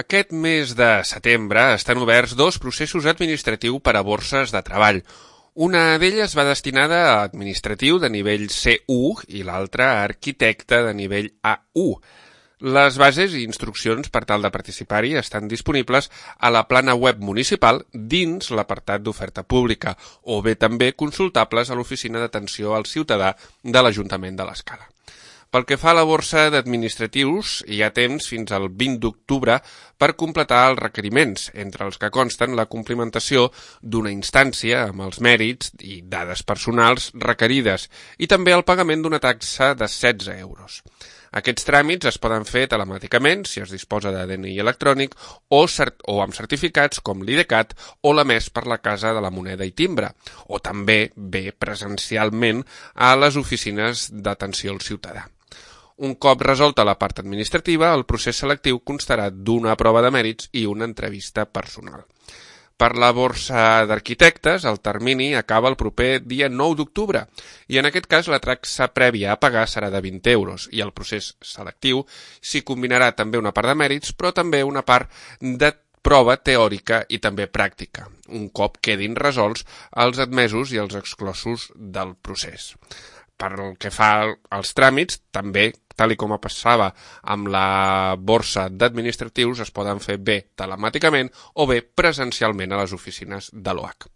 Aquest mes de setembre estan oberts dos processos administratius per a borses de treball. Una d'elles va destinada a administratiu de nivell C1 i l'altra a arquitecte de nivell A1. Les bases i instruccions per tal de participar-hi estan disponibles a la plana web municipal dins l'apartat d'oferta pública o bé també consultables a l'Oficina d'Atenció al Ciutadà de l'Ajuntament de l'Escala. Pel que fa a la borsa d'administratius, hi ha temps fins al 20 d'octubre per completar els requeriments, entre els que consten la complementació d'una instància amb els mèrits i dades personals requerides i també el pagament d'una taxa de 16 euros. Aquests tràmits es poden fer telemàticament si es disposa de DNI electrònic o amb certificats com l'IDCAT o l'emès per la Casa de la Moneda i Timbre, o també bé presencialment a les oficines d'atenció al ciutadà. Un cop resolta la part administrativa, el procés selectiu constarà d'una prova de mèrits i una entrevista personal. Per la borsa d'arquitectes, el termini acaba el proper dia 9 d'octubre i en aquest cas la taxa prèvia a pagar serà de 20 euros i el procés selectiu s'hi combinarà també una part de mèrits però també una part de prova teòrica i també pràctica, un cop quedin resolts els admesos i els exclosos del procés. Per el que fa als tràmits, també, tal com passava amb la borsa d'administratius, es poden fer bé telemàticament o bé presencialment a les oficines de l'OAC.